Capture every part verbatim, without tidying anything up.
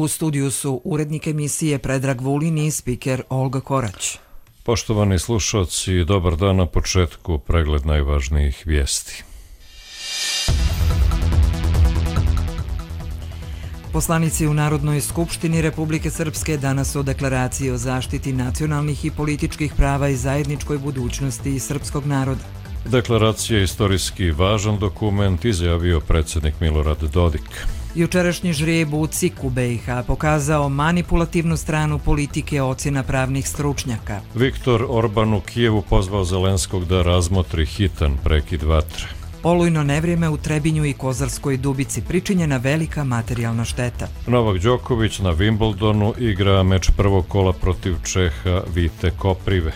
U studiju su urednik emisije Predrag Vulin i spiker Olga Korać. Poštovani slušalci, dobar dan. Na početku pregled najvažnijih vijesti. Poslanici u Narodnoj skupštini Republike Srpske danas o deklaraciji o zaštiti nacionalnih i političkih prava i zajedničkoj budućnosti srpskog naroda. Deklaracija je istorijski važan dokument, izjavio predsjednik Milorad Dodik. Jučerašnji žrijeb u C I K-u B i H pokazao manipulativnu stranu politike ocjena pravnih stručnjaka. Viktor Orban u Kijevu pozvao Zelenskog da razmotri hitan prekid vatre. Olujno nevrijeme u Trebinju i Kozarskoj Dubici, pričinjena velika materijalna šteta. Novak Đoković na Wimbledonu igra meč prvog kola protiv Čeha Vite Koprive.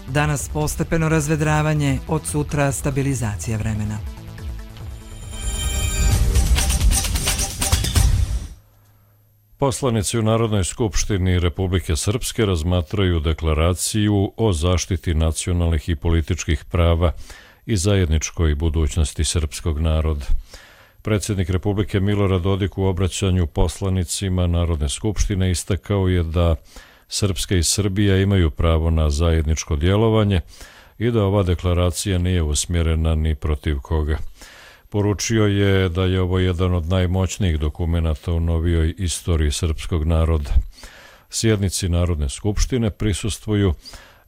Danas postepeno razvedravanje, od sutra stabilizacija vremena. Poslanici u Narodnoj skupštini Republike Srpske razmatraju deklaraciju o zaštiti nacionalnih i političkih prava i zajedničkoj budućnosti srpskog naroda. Predsjednik Republike Milorad Dodik u obraćanju poslanicima Narodne skupštine istakao je da Srpska i Srbija imaju pravo na zajedničko djelovanje i da ova deklaracija nije usmjerena ni protiv koga. Poručio je da je ovo jedan od najmoćnijih dokumenata u novijoj istoriji srpskog naroda. Sjednici Narodne skupštine prisustvuju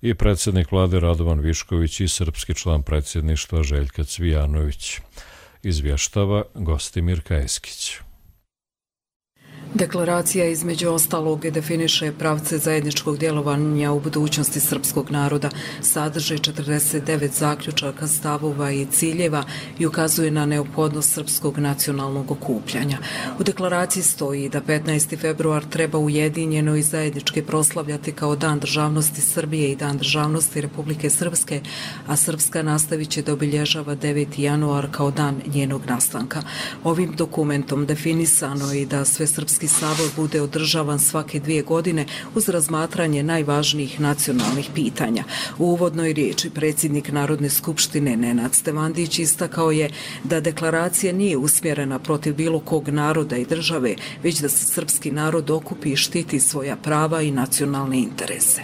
i predsjednik vlade Radovan Višković i srpski član predsjedništva Željka Cvijanović. Izvještava Gostimir Kajeskić. Deklaracija između ostalog definiše pravce zajedničkog djelovanja u budućnosti srpskog naroda, sadrži četrdeset devet zaključaka, stavova i ciljeva i ukazuje na neophodnost srpskog nacionalnog okupljanja. U deklaraciji stoji da petnaesti februar treba ujedinjeno i zajednički proslavljati kao Dan državnosti Srbije i Dan državnosti Republike Srpske, a Srpska nastavit će da obilježava deveti januar kao dan njenog nastanka. Ovim dokumentom definisano je i da sve srpski sabor bude održavan svake dvije godine uz razmatranje najvažnijih nacionalnih pitanja. U uvodnoj riječi predsjednik Narodne skupštine Nenad Stevandić istakao je da deklaracija nije usmjerena protiv bilo kog naroda i države, već da se srpski narod okupi i štiti svoja prava i nacionalne interese.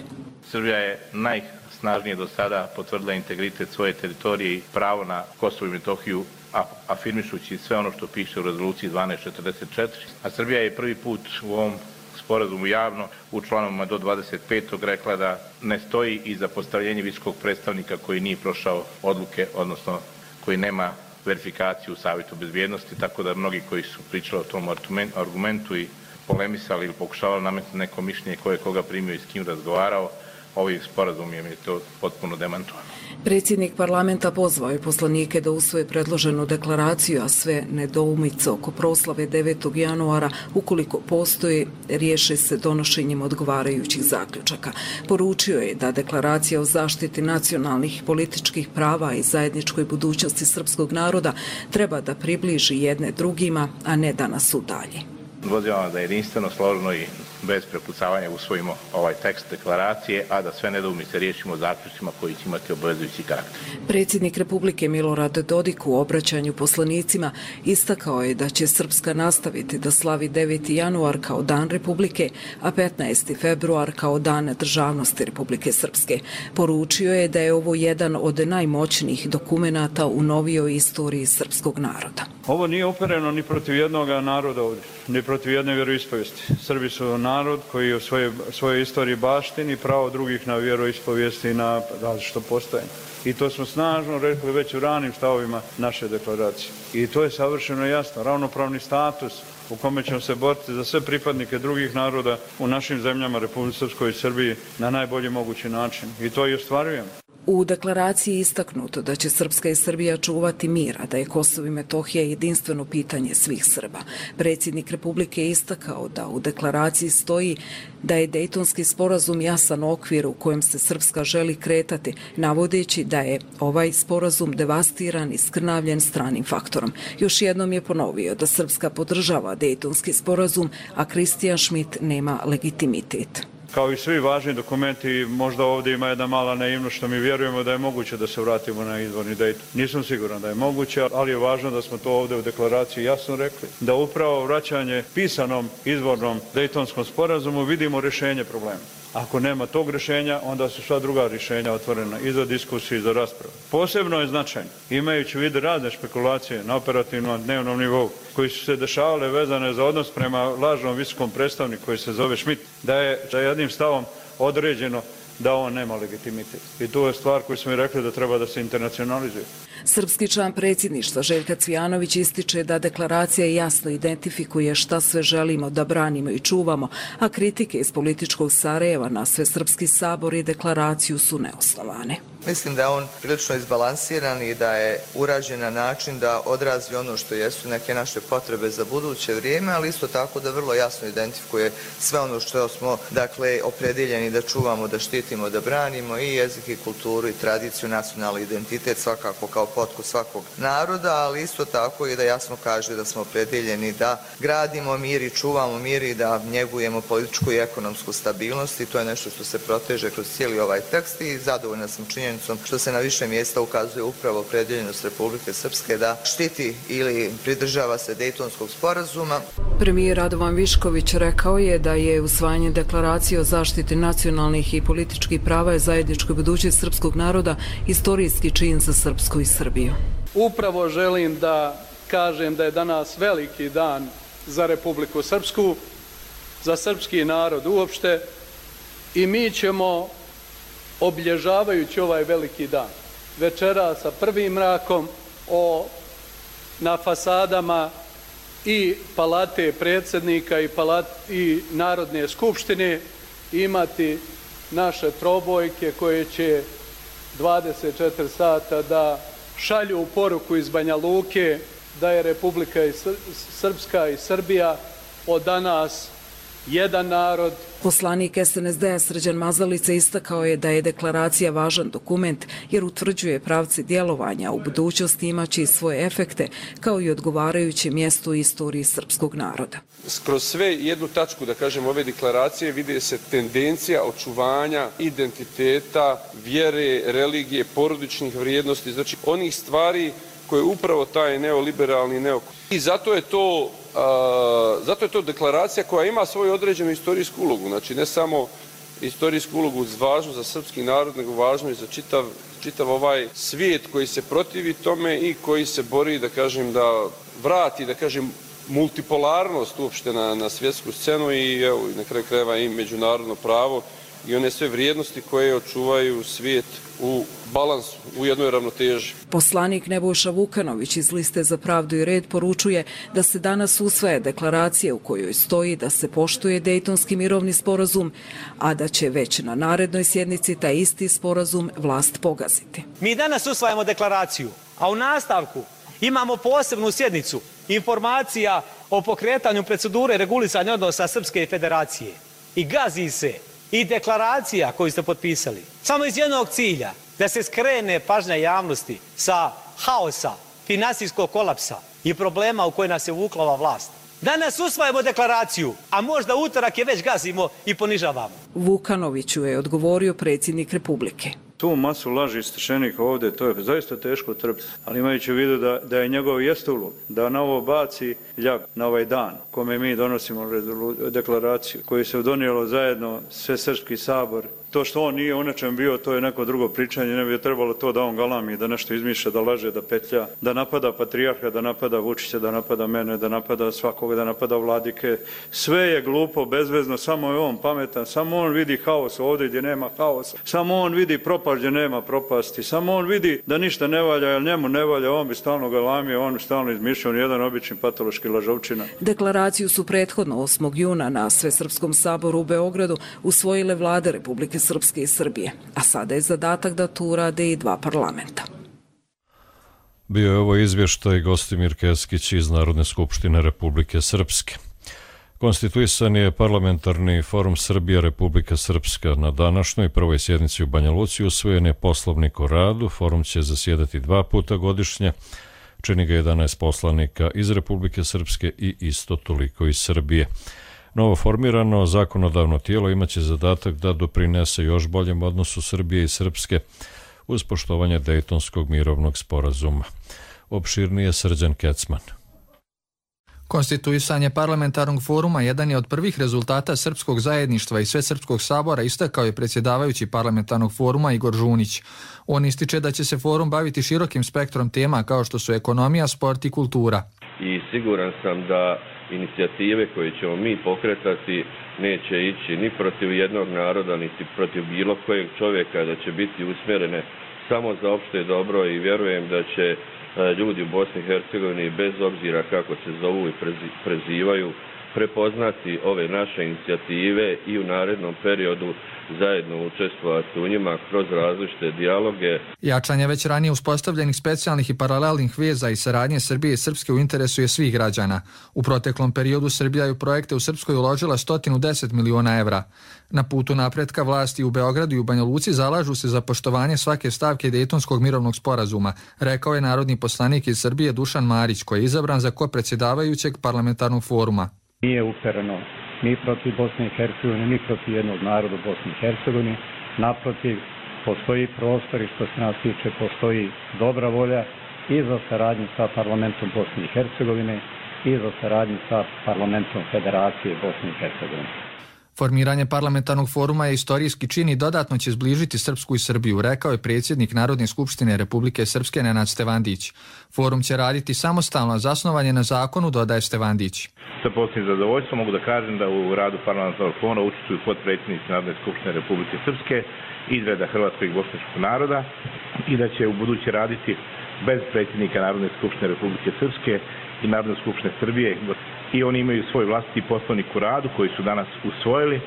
Srbija je najsnažnije do sada potvrdila integritet svoje teritorije i pravo na Kosovo i Metohiju, afirmišući sve ono što piše u rezoluciji dvanaest četrdeset četiri, a Srbija je prvi put u ovom sporazumu javno u članovima do dvadeset petog rekla da ne stoji iza postavljenja visokog predstavnika koji nije prošao odluke, odnosno koji nema verifikaciju u Savjetu bezbjednosti, tako da mnogi koji su pričali o tom argumentu i polemisali ili pokušavali nametnuti neko mišljenje ko je koga primio i s kim razgovarao, ovim sporazumom je to potpuno demantovano. Predsjednik parlamenta pozvao je poslanike da usvoje predloženu deklaraciju, a sve nedoumice oko proslave devetog januara, ukoliko postoje, riješe se donošenjem odgovarajućih zaključaka. Poručio je da deklaracija o zaštiti nacionalnih i političkih prava i zajedničkoj budućnosti srpskog naroda treba da približi jedne drugima, a ne da nas udalji. Pozivam da jedinstveno, složno i bez prepucavanja usvojimo ovaj tekst deklaracije, a da sve nedoumice riješimo zaključcima koji će imati obavezujući karakter. Predsjednik Republike Milorad Dodik u obraćanju poslanicima istakao je da će Srpska nastaviti da slavi deveti januar kao Dan Republike, a petnaesti februar kao Dan državnosti Republike Srpske. Poručio je da je ovo jedan od najmoćnijih dokumenata u novijoj istoriji srpskog naroda. Ovo nije upereno ni protiv jednog naroda ovdje, ni protiv jedne vjeroispovijesti. Srbi su narod koji u svojoj, svojoj istoriji baštini pravo drugih na vjeroispovijesti i na različito postojanje. I to smo snažno rekli već u ranim stavovima naše deklaracije. I to je savršeno jasno, ravnopravni status u kome ćemo se boriti za sve pripadnike drugih naroda u našim zemljama, Republici Srpskoj i Srbiji, na najbolji mogući način. I to i ostvarujemo. U deklaraciji je istaknuto da će Srpska i Srbija čuvati mir, a da je Kosovo i Metohija jedinstveno pitanje svih Srba. Predsjednik Republike je istakao da u deklaraciji stoji da je Dejtonski sporazum jasan okvir u kojem se Srpska želi kretati, navodeći da je ovaj sporazum devastiran i skrnavljen stranim faktorom. Još jednom je ponovio da Srpska podržava Dejtonski sporazum, a Kristijan Šmit nema legitimitet. Kao i svi važni dokumenti, možda ovdje ima jedna mala naivnost što mi vjerujemo da je moguće da se vratimo na izvorni Dayton. Nisam siguran da je moguće, ali je važno da smo to ovdje u deklaraciji jasno rekli. Da upravo vraćanje pisanom izvornom Daytonskom sporazumu vidimo rješenje problema. Ako nema tog rješenja, onda su sva druga rješenja otvorena i za diskusiju i za raspravu. Posebno je značajno, imajući u vidu razne špekulacije na operativnom dnevnom nivou, koji su se dešavale vezane za odnos prema lažnom visokom predstavniku koji se zove Schmidt, da je za jednim stavom određeno da on nema legitimitet. I to je stvar koju smo i rekli da treba da se internacionalizuje. Srpski član predsjedništva Željka Cvijanović ističe da deklaracija jasno identifikuje šta sve želimo da branimo i čuvamo, a kritike iz političkog Sarajeva na Svesrpski sabor i deklaraciju su neosnovane. Mislim da je on prilično izbalansiran i da je urađen na način da odrazi ono što jesu neke naše potrebe za buduće vrijeme, ali isto tako da vrlo jasno identifikuje sve ono što smo, dakle, opredjeljeni da čuvamo, da štitimo, da branimo i jezik i kulturu i tradiciju, nacionalni identitet svakako kao potku svakog naroda, ali isto tako i da jasno kaže da smo opredjeljeni da gradimo mir i čuvamo mir i da njegujemo političku i ekonomsku stabilnost i to je nešto što se proteže kroz cijeli ovaj tekst i zadovoljna sam činjenicom što se na više mjesta ukazuje upravo opredjeljenost Republike Srpske da štiti ili pridržava se Dejtonskog sporazuma. Premijer Radovan Višković rekao je da je usvajanje deklaracije o zaštiti nacionalnih i političkih prava i zajedničkoj budućnosti srpskog naroda istorijski čin za Srpsku i Srbiju. Upravo želim da kažem da je danas veliki dan za Republiku Srpsku, za srpski narod uopšte i mi ćemo obilježavajući ovaj veliki dan večera sa prvim mrakom o, na fasadama i palate predsjednika i, palat, i Narodne skupštine imati naše trobojke koje će dvadeset četiri sata da šalju poruku iz Banja Luke da je Republika i Srpska i Srbija od danas jedan narod. Poslanik S N S D-a Srđan Mazalica istakao je da je deklaracija važan dokument jer utvrđuje pravce djelovanja, u budućnosti imaće i svoje efekte kao i odgovarajuće mjesto u istoriji srpskog naroda. Kroz sve jednu tačku, da kažem, ove deklaracije vidi se tendencija očuvanja identiteta, vjere, religije, porodičnih vrijednosti, znači onih stvari koje upravo taj neoliberalni neo. I zato je to Uh, zato je to deklaracija koja ima svoju određenu istorijsku ulogu, znači ne samo istorijsku ulogu važnu za srpski narod, nego važnu i za čitav, čitav ovaj svijet koji se protivi tome i koji se bori, da kažem, da vrati, da kažem, multipolarnost uopšte na, na svjetsku scenu i evo, na kraju krajeva i međunarodno pravo i one sve vrijednosti koje očuvaju svijet u balansu, u jednoj ravnoteži. Poslanik Nebojša Vukanović iz Liste za pravdu i red poručuje da se danas usvaja deklaracija u kojoj stoji da se poštuje Dejtonski mirovni sporazum, a da će već na narednoj sjednici taj isti sporazum vlast pogaziti. Mi danas usvajamo deklaraciju, a u nastavku imamo posebnu sjednicu informacija o pokretanju procedure regulisanja odnosa Srpske federacije i gazi se i deklaracija koju ste potpisali samo iz jednog cilja, da se skrene pažnja javnosti sa haosa, finansijskog kolapsa i problema u koje nas je uvukla ova vlast. Danas usvajamo deklaraciju, a možda utorak je već gazimo i ponižavamo. Vukanoviću je odgovorio predsjednik Republike. Tu masu laži stečenih ovdje, to je zaista teško trpiti, ali imajući u vidu da, da je njegov jest ulog, da na ovo baci ljag na ovaj dan kome mi donosimo deklaraciju, koju se donijelo zajedno sve Srpski sabor. To što on nije u nečem bio, to je neko drugo pričanje, ne bi je trebalo to da on galami, da nešto izmišlja, da laže, da petlja, da napada patrijarha, da napada Vučića, da napada mene, da napada svakoga, da napada vladike. Sve je glupo, bezvezno, samo je on pametan, samo on vidi haos ovdje gdje nema haosa, samo on vidi propast gdje nema propasti, samo on vidi da ništa ne valja, jer njemu ne valja, on bi stalno galamio, on bi stalno izmišljao, jedan obični patološki lažovčina. Deklaraciju su prethodno osmog juna na Svesrpskom saboru u Beogradu usvojile vlade Republike Srpske i Srbije, a sada je zadatak da tu urade i dva parlamenta. Bio je ovo izvještaj Gostimir Keskić iz Narodne skupštine Republike Srpske. Konstituisan je parlamentarni forum Srbija Republika Srpska. Na današnjoj prvoj sjednici u Banja Luci usvojen je poslovnik o radu. Forum će zasjedati dva puta godišnje. Čini ga jedanaest poslanika iz Republike Srpske i isto toliko iz Srbije. Novo formirano zakonodavno tijelo imaće zadatak da doprinese još boljem odnosu Srbije i Srpske uz poštovanje Dejtonskog mirovnog sporazuma. Opširnije Srđan Kecman. Konstituisanje parlamentarnog foruma jedan je od prvih rezultata srpskog zajedništva i Svesrpskog sabora, istakao je predsjedavajući parlamentarnog foruma Igor Žunić. On ističe da će se forum baviti širokim spektrom tema kao što su ekonomija, sport i kultura. I siguran sam da inicijative koje ćemo mi pokretati neće ići ni protiv jednog naroda, niti protiv bilo kojeg čovjeka, da će biti usmjerene samo za opšte dobro i vjerujem da će ljudi u Bosni i Hercegovini, bez obzira kako se zovu i prezivaju, prepoznati ove naše inicijative i u narednom periodu zajedno učestvovati u njima kroz različite dijaloge. Jačanje već ranije uspostavljenih specijalnih i paralelnih veza i saradnje Srbije i Srpske u interesu je svih građana. U proteklom periodu Srbija je u projekte u Srpskoj uložila sto deset miliona evra. Na putu napretka vlasti u Beogradu i u Banja Luci zalažu se za poštovanje svake stavke Dejtonskog mirovnog sporazuma, rekao je narodni poslanik iz Srbije Dušan Marić, koji je izabran za kopredsjedavajućeg parlamentarnog foruma. Nije upereno ni protiv Bosne i Hercegovine, ni protiv jednog naroda u Bosni i Hercegovini. Naprotiv, postoji prostor i što se nas tiče postoji dobra volja i za saradnju sa parlamentom Bosne i Hercegovine i za saradnju sa parlamentom Federacije Bosne i Hercegovine. Formiranje parlamentarnog foruma je istorijski čin i dodatno će zbližiti Srpsku i Srbiju, rekao je predsjednik Narodne skupštine Republike Srpske Nenad Stevandić. Forum će raditi samostalno, a zasnovan je na zakonu, dodaje Stevandić. Sa posebnim zadovoljstvom mogu da kažem da u radu parlamentarnog foruma učestvuju potpredsjednici Narodne skupštine Republike Srpske iz reda hrvatskog i bošnjačkog naroda i da će u buduće raditi bez predsjednika Narodne skupštine Republike Srpske i Narodne skupštine Srbije. I oni imaju svoj vlastiti poslovnik u radu koji su danas usvojili,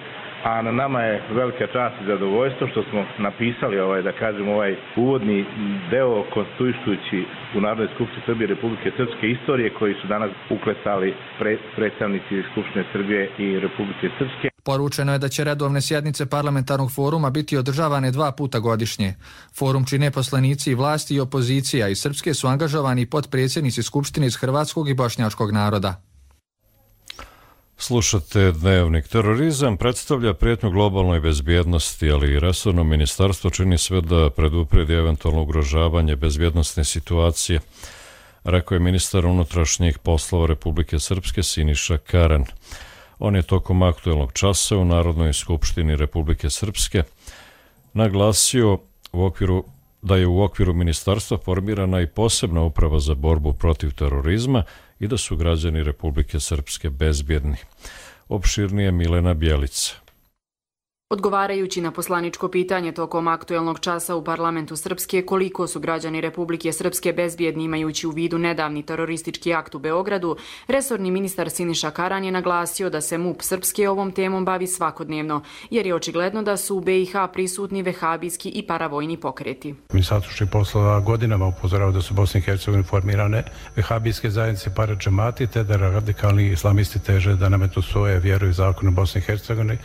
a na nama je velika čast i zadovoljstvo što smo napisali ovaj, da kažem, ovaj uvodni deo konstituišući u Narodnoj skupštini Srbije i Republike Srpske istorije koji su danas uklesali pre, predstavnici Skupštine Srbije i Republike Srpske. Poručeno je da će redovne sjednice parlamentarnog foruma biti održavane dva puta godišnje. Forum čine poslanici i vlasti i opozicija, i Srpske su angažovani potpredsjednici Skupštine iz hrvatskog i bošnjačkog naroda. Slušate Dnevnik. Terorizam predstavlja prijetnju globalnoj bezbjednosti, ali i resorno ministarstvo čini sve da predupredi eventualno ugrožavanje bezbjednosne situacije, rekao je ministar unutrašnjih poslova Republike Srpske Siniša Karan. On je tokom aktuelnog časa u Narodnoj skupštini Republike Srpske naglasio u okviru da je u okviru ministarstva formirana i posebna uprava za borbu protiv terorizma i da su građani Republike Srpske bezbjedni. Opširnije Milena Bjelica. Odgovarajući na poslaničko pitanje tokom aktuelnog časa u parlamentu Srpske koliko su građani Republike Srpske bezbjedni imajući u vidu nedavni teroristički akt u Beogradu, resorni ministar Siniša Karan je naglasio da se MUP Srpske ovom temom bavi svakodnevno, jer je očigledno da su u B i H prisutni vehabijski i paravojni pokreti. Ministarstvo poslova godinama upozorava da su u Bosni i Hercegovini formirane vehabijske zajednice paradžemati, te da radikalni islamisti teže da nametu svoje vjeru i zakone u Bosni i Hercegovini,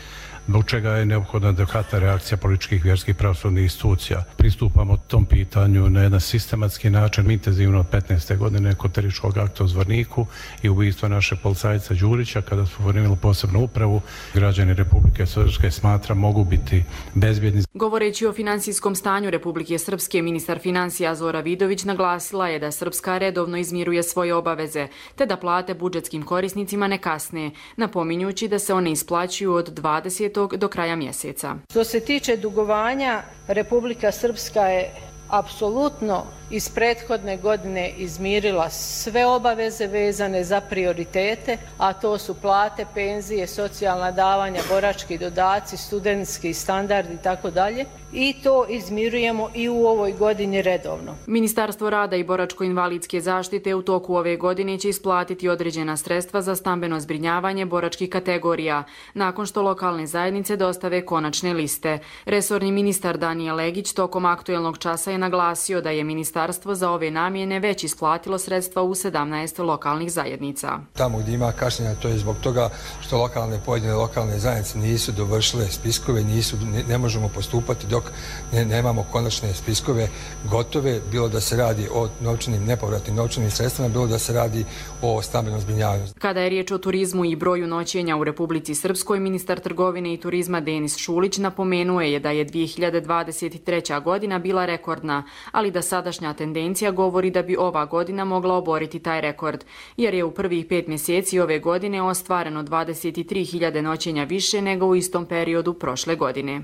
zbog čega je neophodna adekvatna reakcija političkih, vjerskih i pravosudnih institucija. Pristupamo tom pitanju na jedan sistematski način, intenzivno od petnaeste godine kod terorističkog akta u Zvorniku i ubojstva naše policajca Đurića, kada su formirali posebnu upravu. Građani Republike Srpske smatra mogu biti bezbjedni. Govoreći o finansijskom stanju Republike Srpske, ministar financija Zora Vidović naglasila je da Srpska redovno izmiruje svoje obaveze, te da plate budžetskim korisnicima ne kasne, napominjući da se one isplaćuju od dvadesetog do kraja mjeseca. Što se tiče dugovanja, Republika Srpska je apsolutno iz prethodne godine izmirila sve obaveze vezane za prioritete, a to su plate, penzije, socijalna davanja, borački dodaci, studentski standard i tako dalje. I to izmirujemo i u ovoj godini redovno. Ministarstvo rada i boračko-invalidske zaštite u toku ove godine će isplatiti određena sredstva za stambeno zbrinjavanje boračkih kategorija, nakon što lokalne zajednice dostave konačne liste. Resorni ministar Danijel Legić tokom aktuelnog časa je naglasio da je ministar ministarstvo za ove namjene već isplatilo sredstva u sedamnaest lokalnih zajednica. Tamo gdje ima kašnjenja, to je zbog toga što lokalne pojedine lokalne zajednice nisu dovršile spiskove, nisu, ne, ne možemo postupati dok ne, nemamo konačne spiskove gotove, bilo da se radi o novčanim, nepovratnim novčanim sredstvima, bilo da se radi o stambenom zbrinjavanju. Kada je riječ o turizmu i broju noćenja u Republici Srpskoj, ministar trgovine i turizma Denis Šulić napomenuo je da je dvije hiljade dvadeset treća. godina bila rekordna, ali da sadašnja tendencija govori da bi ova godina mogla oboriti taj rekord, jer je u prvih pet mjeseci ove godine ostvareno dvadeset tri hiljade noćenja više nego u istom periodu prošle godine.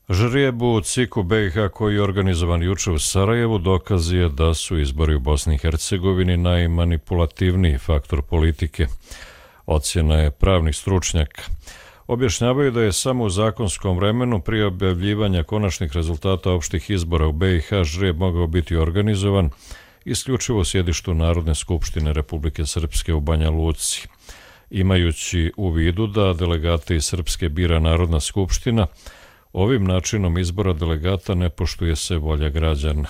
Žrijeb u C I K-u B i H koji je organizovan juče u Sarajevu dokaz je da su izbori u Bosni i Hercegovini najmanipulativniji faktor politike. Ocjena je pravnih stručnjaka. Objašnjavaju da je samo u zakonskom vremenu prije objavljivanja konačnih rezultata opštih izbora u B i H žrijeb mogao biti organizovan isključivo u sjedištu Narodne skupštine Republike Srpske u Banja Luci. Imajući u vidu da delegate iz Srpske bira Narodna skupština, ovim načinom izbora delegata ne poštuje se volja građana.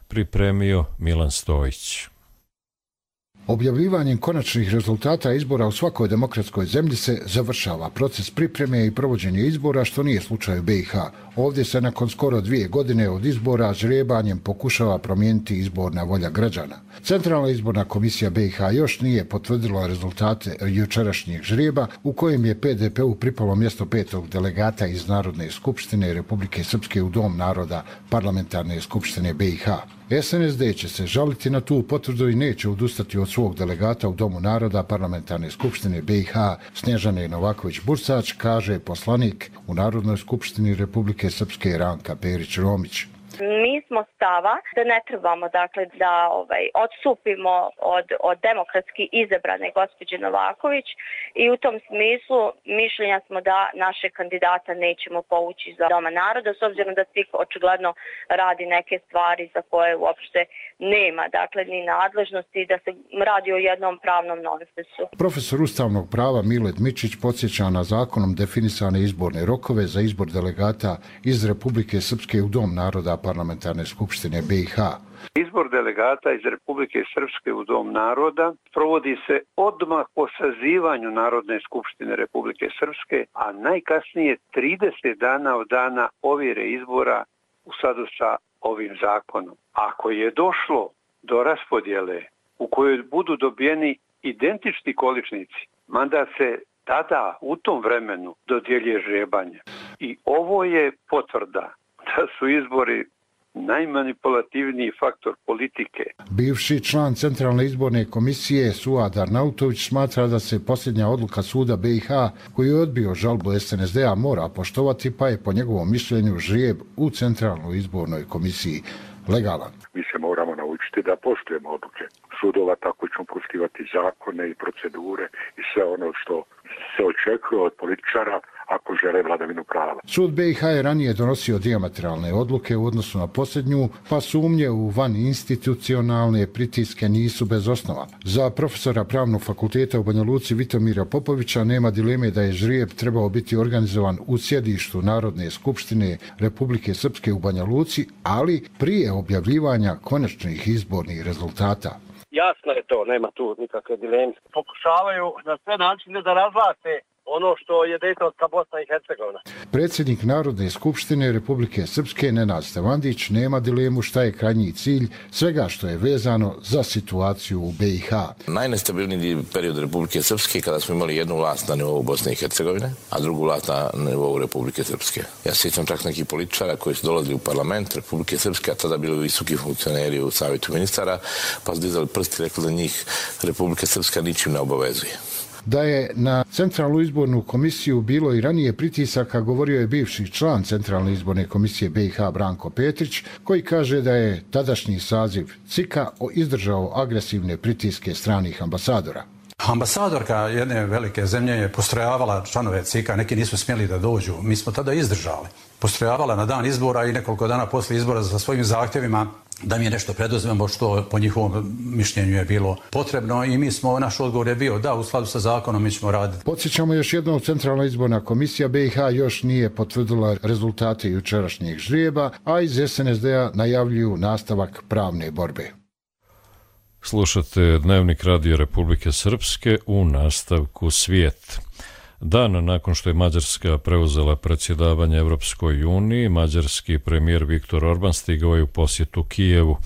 Pripremio Milan Stojić. Objavljivanjem konačnih rezultata izbora u svakoj demokratskoj zemlji se završava proces pripreme i provođenja izbora, što nije slučaj u B i H. Ovdje se nakon skoro dvije godine od izbora žrijebanjem pokušava promijeniti izborna volja građana. Centralna izborna komisija B i H još nije potvrdila rezultate jučerašnjeg žrijeba u kojem je P D P-u pripalo mjesto petog delegata iz Narodne skupštine Republike Srpske u Dom naroda Parlamentarne skupštine B i H. S N S D će se žaliti na tu potvrdu i neće odustati od svog delegata u Domu naroda Parlamentarne skupštine B i H Snježane Novaković-Bursač, kaže poslanik u Narodnoj skupštini Republike Srpske Ranka Perić-Romić. Mi smo stava da ne trebamo dakle da ovaj odstupimo od od demokratski izabrane gospođe Novaković i u tom smislu mišljenja smo da naše kandidata nećemo povući za Doma naroda, s obzirom da S I K očigledno radi neke stvari za koje uopšte nema dakle ni nadležnosti, da se radi o jednom pravnom nonsensu. Profesor ustavnog prava Milet Mičić podsjeća na zakonom definisane izborne rokove za izbor delegata iz Republike Srpske u Dom naroda Parlamentarne skupštine B i H. Izbor delegata iz Republike Srpske u Dom naroda provodi se odmah po sazivanju Narodne skupštine Republike Srpske, a najkasnije trideset dana od dana ovjere izbora u skladu sa ovim zakonom. Ako je došlo do raspodjele u kojoj budu dobijeni identični količnici, mandat se tada u tom vremenu dodjeljuje žrebanje. I ovo je potvrda da su izbori najmanipulativniji faktor politike. Bivši član Centralne izborne komisije Suad Arnautović smatra da se posljednja odluka suda B i H koji je odbio žalbu S N S D-a mora poštovati, pa je po njegovom mišljenju žrijeb u Centralnoj izbornoj komisiji legalan. Mi se moramo naučiti da poštujemo odluke sudova, tako ćemo poštivati zakone i procedure i sve ono što se očekuje od političara ako žele vladavinu prava. Sud B i H je ranije donosio dijametralne odluke u odnosu na posljednju, pa sumnje u van institucionalne pritiske nisu bez osnova. Za profesora Pravnog fakulteta u Banja Luci Vitomira Popovića nema dileme da je žrijeb trebao biti organizovan u sjedištu Narodne skupštine Republike Srpske u Banja Luci, ali prije objavljivanja konačnih izbornih rezultata. Jasno je to, nema tu nikakve dileme. Pokušavaju na sve načine da razvlaste ono što je Dejtonska Bosna i Hercegovina. Predsjednik Narodne skupštine Republike Srpske Nenad Stevandić nema dilemu šta je krajnji cilj svega što je vezano za situaciju u B i H. Najnestabilniji period Republike Srpske kada smo imali jednu vlast na nivou Bosne i Hercegovine, a drugu vlast na nivou Republike Srpske. Ja sjećam čak nekih političara koji su dolazili u parlament Republike Srpske, a tada bili visoki funkcioneri u savjetu ministara, pa su dizali prsti i rekli da njih Republike Srpska ničim ne obavezuje. Da je na Centralnu izbornu komisiju bilo i ranije pritisaka, govorio je bivši član Centralne izborne komisije B i H Branko Petrić, koji kaže da je tadašnji saziv C I K-a izdržao agresivne pritiske stranih ambasadora. Ambasadorka jedne velike zemlje je postrojavala članove C I K-a, neki nisu smjeli da dođu. Mi smo tada izdržali. Postrojavala na dan izbora i nekoliko dana poslije izbora sa svojim zahtjevima da mi je nešto preduzmemo što po njihovom mišljenju je bilo potrebno i mi smo, naš odgovor je bio da u skladu sa zakonom mi ćemo raditi. Podsjećamo još jednom, Centralna izborna komisija B i H još nije potvrdila rezultate jučerašnjeg žrijeba, a iz S N S D-a najavljuju nastavak pravne borbe. Slušate Dnevnik Radio Republike Srpske, u nastavku svijet. Dan nakon što je Mađarska preuzela predsjedavanje Evropskoj uniji, mađarski premijer Viktor Orban stigao je u posjetu Kijevu,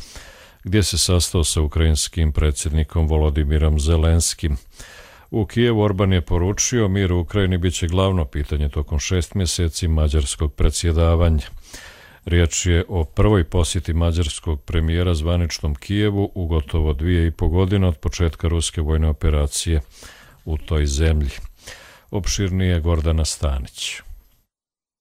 gdje se sastao sa ukrajinskim predsjednikom Volodimirom Zelenskim. U Kijevu Orban je poručio mir u Ukrajini bit će glavno pitanje tokom šest mjeseci mađarskog predsjedavanja. Riječ je o prvoj posjeti mađarskog premijera zvaničnom Kijevu u gotovo dvije i po godine od početka ruske vojne operacije u toj zemlji. Opširnije Gordana Stanić.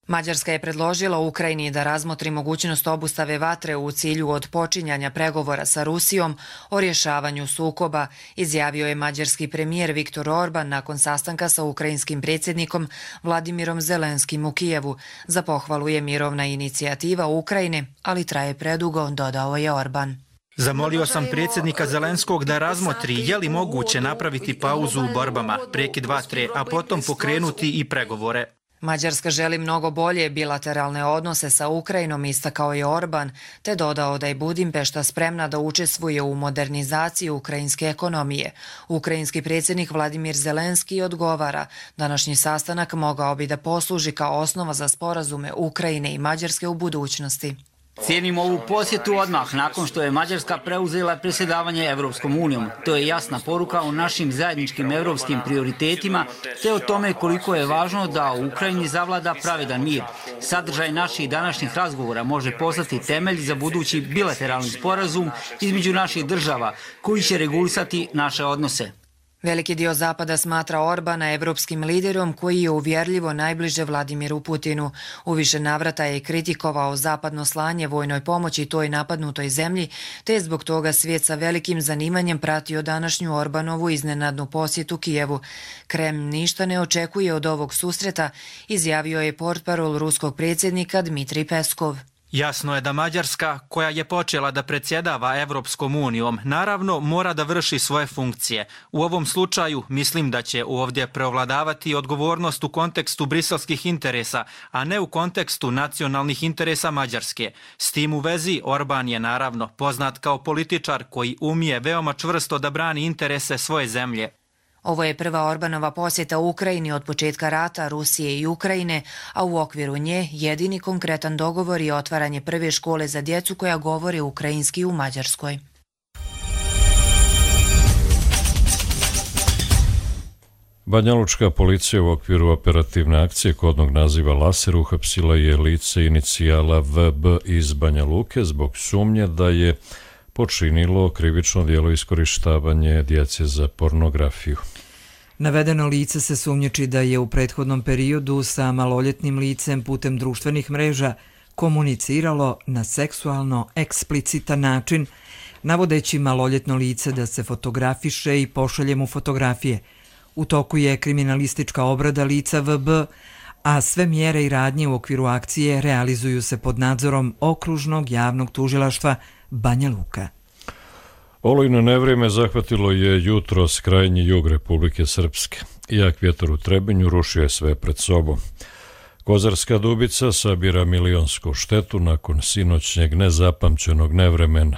Mađarska je predložila Ukrajini da razmotri mogućnost obustave vatre u cilju odpočinjanja pregovora sa Rusijom o rješavanju sukoba, izjavio je mađarski premijer Viktor Orban nakon sastanka sa ukrajinskim predsjednikom Vladimirom Zelenskim u Kijevu. Za pohvalu je mirovna inicijativa Ukrajine, ali traje predugo, dodao je Orban. Zamolio sam predsjednika Zelenskog da razmotri je li moguće napraviti pauzu u borbama, prekid vatre, a potom pokrenuti i pregovore. Mađarska želi mnogo bolje bilateralne odnose sa Ukrajinom, istakao je Orban, te dodao da je Budimpešta spremna da učestvuje u modernizaciji ukrajinske ekonomije. Ukrajinski predsjednik Vladimir Zelenski odgovara, današnji sastanak mogao bi da posluži kao osnova za sporazume Ukrajine i Mađarske u budućnosti. Cijenim ovu posjetu odmah nakon što je Mađarska preuzela predsjedavanje Evropskom unijom. To je jasna poruka o našim zajedničkim evropskim prioritetima te o tome koliko je važno da u Ukrajini zavlada pravedan mir. Sadržaj naših današnjih razgovora može postati temelj za budući bilateralni sporazum između naših država koji će regulisati naše odnose. Veliki dio Zapada smatra Orbana evropskim liderom koji je uvjerljivo najbliže Vladimiru Putinu. U više navrata je kritikovao zapadno slanje vojnoj pomoći toj napadnutoj zemlji, te je zbog toga svijet sa velikim zanimanjem pratio današnju Orbanovu iznenadnu posjetu Kijevu. Kreml ništa ne očekuje od ovog susreta, izjavio je portparol ruskog predsjednika Dmitrij Peskov. Jasno je da Mađarska, koja je počela da predsjedava Evropskom unijom, naravno mora da vrši svoje funkcije. U ovom slučaju mislim da će ovdje preovladavati odgovornost u kontekstu briselskih interesa, a ne u kontekstu nacionalnih interesa Mađarske. S tim u vezi Orban je naravno poznat kao političar koji umije veoma čvrsto da brani interese svoje zemlje. Ovo je prva Orbanova posjeta u Ukrajini od početka rata Rusije i Ukrajine, a u okviru nje jedini konkretan dogovor je otvaranje prve škole za djecu koja govori ukrajinski u Mađarskoj. Banjalučka policija u okviru operativne akcije kodnog naziva Laser uhapsila je lice inicijala V B iz Banja Luke zbog sumnje da je počinilo krivično djelo iskorištavanje djece za pornografiju. Navedeno lice se sumnjiči da je u prethodnom periodu sa maloljetnim licem putem društvenih mreža komuniciralo na seksualno eksplicitan način, navodeći maloljetno lice da se fotografiše i pošalje mu fotografije. U toku je kriminalistička obrada lica V B, a sve mjere i radnje u okviru akcije realizuju se pod nadzorom Okružnog javnog tužilaštva Banja Luka. Olujno nevrijeme zahvatilo je jutros krajnji jug Republike Srpske. Jak vjetar u Trebinju rušio je sve pred sobom. Kozarska Dubica sabira milionsku štetu nakon sinoćnjeg nezapamćenog nevremena.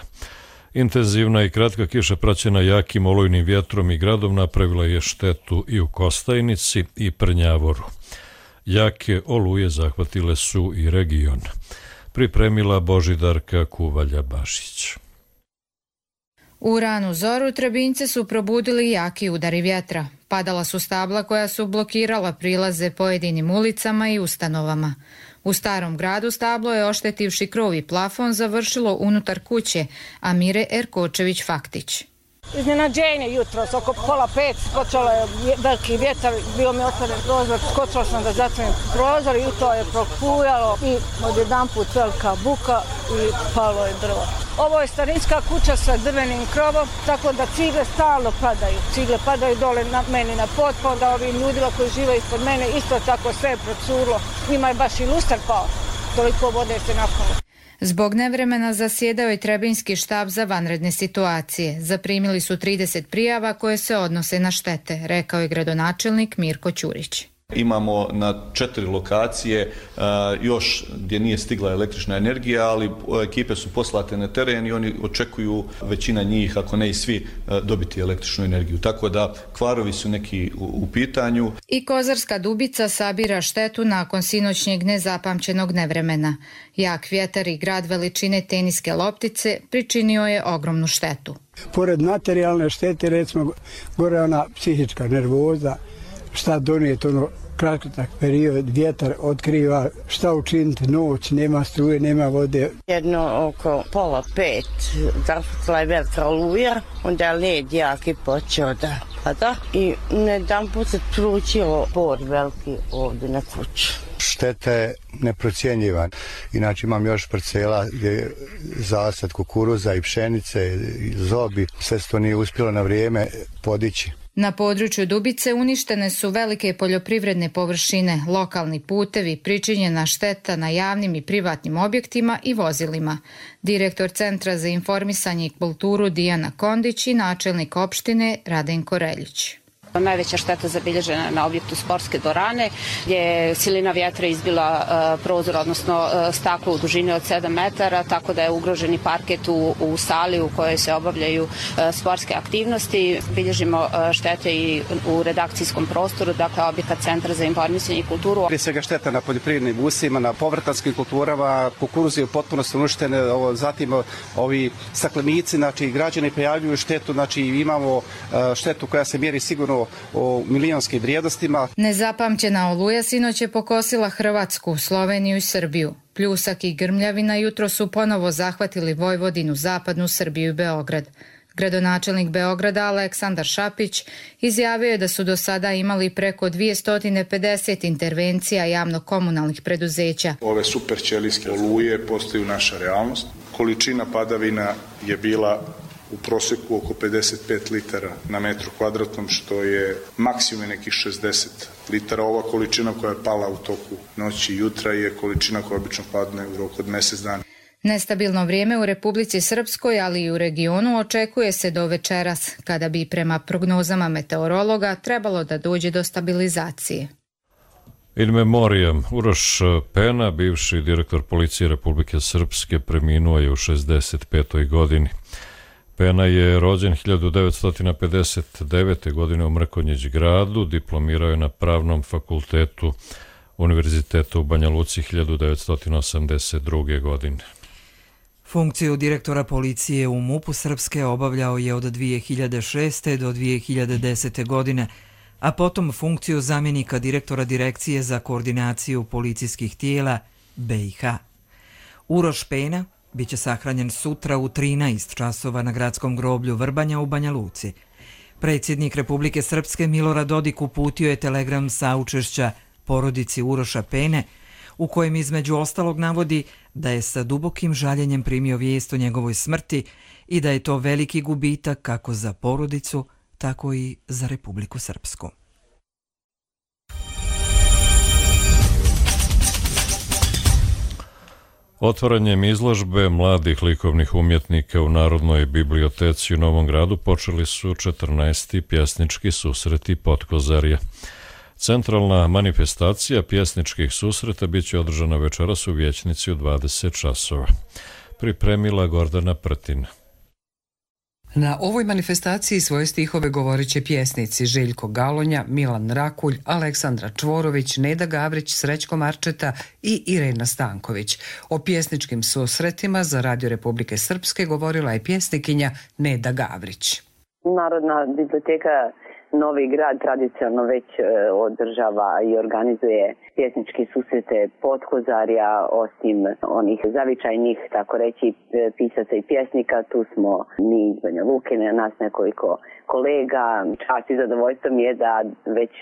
Intenzivna i kratka kiša praćena jakim olujnim vjetrom i gradom napravila je štetu i u Kostajnici i Prnjavoru. Jake oluje zahvatile su i region. Pripremila Božidarka Kuvalja-Bašić. U ranu zoru Trebinjce su probudili jaki udari vjetra. Padala su stabla koja su blokirala prilaze pojedinim ulicama i ustanovama. U Starom gradu stablo je, oštetivši krov i plafon, završilo unutar kuće, Amire Erkočević-Faktić. Iznenađenje jutros, oko pola pet, počelo je veliki vjetar, bio mi otvoren prozor, skočila sam da zatvorim prozor i to je prokujalo i odjedanput velika buka i palo je drvo. Ovo je starinska kuća sa drvenim krovom, tako da cigle stalno padaju. Cigle padaju dole na meni na pod, pa onda ovim ljudima koji žive ispod mene isto tako sve je procurlo. Njima je baš i luster pao, toliko vode se napalo. Zbog nevremena zasjedao je Trebinjski štab za vanredne situacije. Zaprimili su trideset prijava koje se odnose na štete, rekao je gradonačelnik Mirko Ćurić. Imamo na četiri lokacije uh, još gdje nije stigla električna energija, ali ekipe su poslate na teren i oni očekuju, većina njih, ako ne i svi, uh, dobiti električnu energiju. Tako da kvarovi su neki u, u pitanju. I Kozarska Dubica sabira štetu nakon sinoćnjeg nezapamćenog nevremena. Jak vjetar i grad veličine teniske loptice pričinio je ogromnu štetu. Pored materijalne štete, recimo, gore ona psihička nervoza, šta donijeti, ono, kratak period, vjetar otkriva, šta učiniti, noć, nema struje, nema vode. Jedno oko pola pet zašutila je velika oluja, onda je led jaki počeo da pada i jedan put se tručilo por veliki ovdje na kuću. Šteta je neprocjenjivan. Inače imam još parcela gdje je zasad kukuruza i pšenice i zobi. Sve to nije uspjelo na vrijeme podići. Na području Dubice uništene su velike poljoprivredne površine, lokalni putevi, pričinjena šteta na javnim i privatnim objektima i vozilima. Direktor Centra za informisanje i kulturu Dijana Kondić i načelnik opštine Radenko Reljić. Najveća šteta zabilježena na objektu sportske dvorane gdje je silina vjetra izbila uh, prozor, odnosno uh, staklo u dužini od sedam metara, tako da je ugroženi parket u, u sali u kojoj se obavljaju uh, sportske aktivnosti. Bilježimo uh, štete i u redakcijskom prostoru, dakle objekat Centra za informisanje i kulturu. Prije svega šteta na poljoprivrednim usjevima, na povrtanskim kulturama, kukuruzi u potpunosti uništene, zatim ovi staklenici, znači građani prijavljuju štetu, znači imamo uh, štetu koja se mjeri sigurno o milionskim vrijednostima. Nezapamćena oluja sinoć je pokosila Hrvatsku, Sloveniju i Srbiju. Pljusak i grmljavina jutro su ponovo zahvatili Vojvodinu, zapadnu Srbiju i Beograd. Gradonačelnik Beograda Aleksandar Šapić izjavio je da su do sada imali preko dvjesto pedeset intervencija javno-komunalnih preduzeća. Ove superćelijske oluje postaju naša realnost. Količina padavina je bila u prosjeku oko pedeset pet litara na metru kvadratnom, što je maksimum nekih šezdeset litara. Ova količina koja je pala u toku noći i jutra je količina koja obično padne u roku od mjesec dana. Nestabilno vrijeme u Republici Srpskoj, ali i u regionu očekuje se do večeras, kada bi prema prognozama meteorologa trebalo da dođe do stabilizacije. In memoriam, Uroš Pena, bivši direktor policije Republike Srpske, preminuo je u šezdeset petoj godini. Pena je rođen hiljadu devetsto pedeset devete. godine u Mrkonjić gradu, diplomirao je na Pravnom fakultetu Univerziteta u Banja Luci hiljadu devetsto osamdeset druge. godine. Funkciju direktora policije u MUP-u Srpske obavljao je od dvije hiljade šeste. do dvije hiljade desete. godine, a potom funkciju zamjenika direktora Direkcije za koordinaciju policijskih tijela B i H. Uroš Pena biće sahranjen sutra u trinaest časova na gradskom groblju Vrbanja u Banja Luci. Predsjednik Republike Srpske Milorad Dodik uputio je telegram saučešća porodici Uroša Pene, u kojem između ostalog navodi da je sa dubokim žaljenjem primio vijest o njegovoj smrti i da je to veliki gubitak kako za porodicu, tako i za Republiku Srpsku. Otvaranjem izložbe mladih likovnih umjetnika u Narodnoj biblioteci u Novom Gradu počeli su četrnaesti pjesnički susreti Potkozarja. Centralna manifestacija pjesničkih susreta bit će održana večeras u Vijećnici u dvadeset časova. Pripremila Gordana Prtin. Na ovoj manifestaciji svoje stihove govorit će pjesnici Željko Galonja, Milan Rakulj, Aleksandra Čvorović, Neda Gavrić, Srećko Marčeta i Irena Stanković. O pjesničkim susretima za Radio Republike Srpske govorila je pjesnikinja Neda Gavrić. Narodna biblioteka Novi Grad tradicionalno već održava i organizuje pjesnički susrete Potkozarja, osim onih zavičajnih, tako reći, pisaca i pjesnika. Tu smo mi iz Banja Luke, nas nekoliko kolega. Čast i zadovoljstvo mi je da već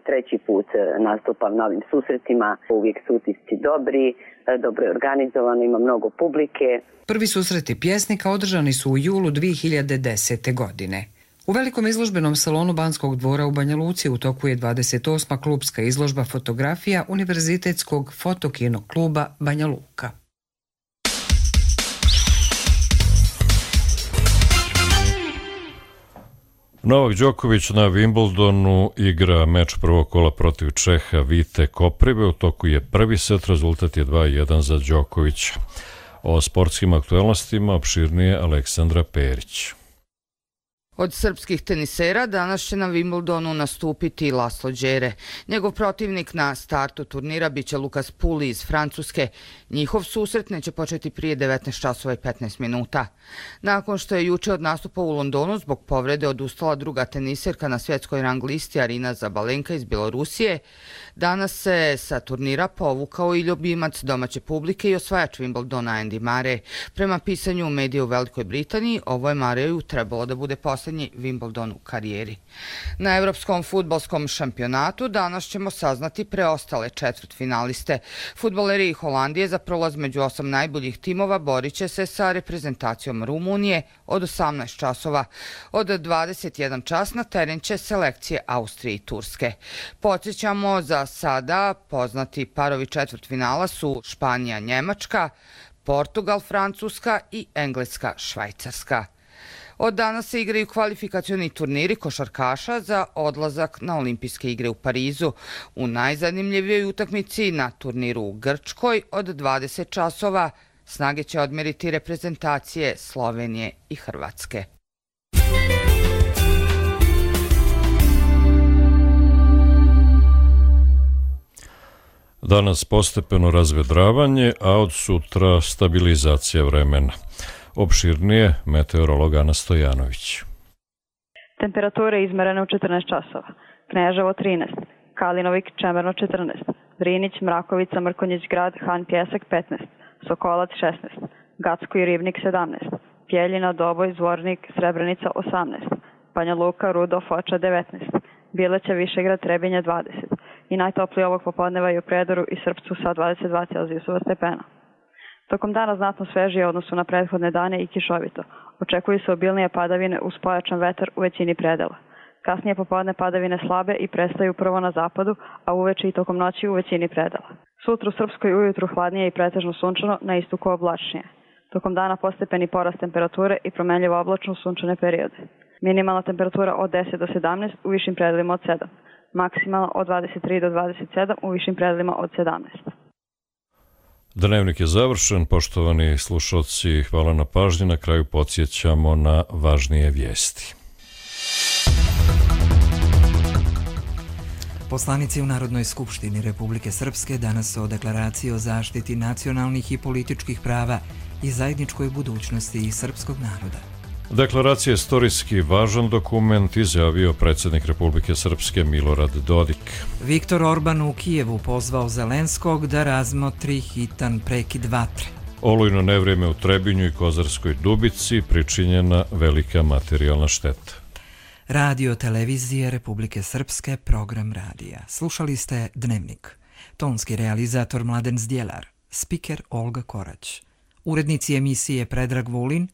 treći put nastupam na ovim susretima. Uvijek su utisci dobri, dobro je organizovano, ima mnogo publike. Prvi susreti pjesnika održani su u julu dvije hiljade desete. godine. U velikom izložbenom salonu Banskog dvora u Banja Luci u toku je dvadeset osma klubska izložba fotografija Univerzitetskog fotokino kluba Banja Luka. Novak Đoković na Wimbledonu igra meč prvog kola protiv Čeha Vite Koprive. U toku je prvi set, rezultat je dva jedan za Đokovića. O sportskim aktualnostima opširnije Aleksandra Perić. Od srpskih tenisera danas će na Wimbledonu nastupiti Laslo Đere. Njegov protivnik na startu turnira biće Lukas Puli iz Francuske. Njihov susret neće početi prije devetnaest časova i petnaest minuta. Nakon što je juče od nastupa u Londonu zbog povrede odustala druga teniserka na svjetskoj rang listi Arina Zabalenka iz Bjelorusije, danas se sa turnira povukao i ljubimac domaće publike i osvajač Wimbledona Andy Murray. Prema pisanju medija u Velikoj Britaniji, ovo je Murrayu trebalo da bude posljednji Wimbledon u karijeri. Na evropskom fudbalskom šampionatu danas ćemo saznati preostale četvrtfinaliste. Fudbaleri Holandije za prolaz među osam najboljih timova borit će se sa reprezentacijom Rumunije od osamnaest časova. Od dvadeset jedan čas na teren će selekcije Austrije i Turske. Podsjećamo, za sada poznati parovi četvrtfinala su Španija, Njemačka, Portugal, Francuska i Engleska, Švajcarska. Od danas se igraju kvalifikacioni turniri košarkaša za odlazak na olimpijske igre u Parizu. U najzanimljivijoj utakmici na turniru u Grčkoj od dvadeset časova snage će odmeriti reprezentacije Slovenije i Hrvatske. Danas postepeno razvedravanje, a od sutra stabilizacija vremena. Opširnije meteorolog Ana Stojanović. Temperature izmerene u četrnaest časova. Kneževo trinaest, Kalinovik Čemerno četrnaest, Vrinić, Mrakovica, Mrkonjić Grad, Han Pjesak petnaest, Sokolac šesnaest, Gacko i Ribnik sedamnaest, Pjeljina, Doboj, Zvornik, Srebrenica osamnaest, Banja Luka, Rudo, Foča devetnaest, Bileća, Višegrad, Trebinje dvadeset i najtoplije ovog popodneva i u Predoru i Srpcu sa dvadeset dva Celzijusova stepena. Tokom dana znatno svežije odnosu na prethodne dane i kišovito. Očekuju se obilnije padavine uz pojačan vetar u većini predela. Kasnije popodne padavine slabe i prestaju prvo na zapadu, a uveče i tokom noći u većini predela. Sutra u Srpskoj ujutru hladnije i pretežno sunčano, na istoku oblačnije. Tokom dana postepeni porast temperature i promenljivo oblačno sunčane periode. Minimalna temperatura od deset do sedamnaest, u višim predelima od sedam. Maksimalna od dvadeset tri do dvadeset sedam, u višim predelima od sedamnaest. Dnevnik je završen, poštovani slušalci, hvala na pažnji. Na kraju podsjećamo na važnije vijesti. Poslanici u Narodnoj skupštini Republike Srpske danas o deklaraciji o zaštiti nacionalnih i političkih prava i zajedničkoj budućnosti srpskog naroda. Deklaracija je istorijski važan dokument, izjavio predsjednik Republike Srpske Milorad Dodik. Viktor Orban u Kijevu pozvao Zelenskog da razmotri hitan prekid vatre. Olujno nevrijeme u Trebinju i Kozarskoj Dubici, pričinjena velika materijalna šteta. Radio televizije Republike Srpske, program radija. Slušali ste Dnevnik. Tonski realizator Mladen Zdjelar, spiker Olga Korać. Urednici emisije Predrag Vulin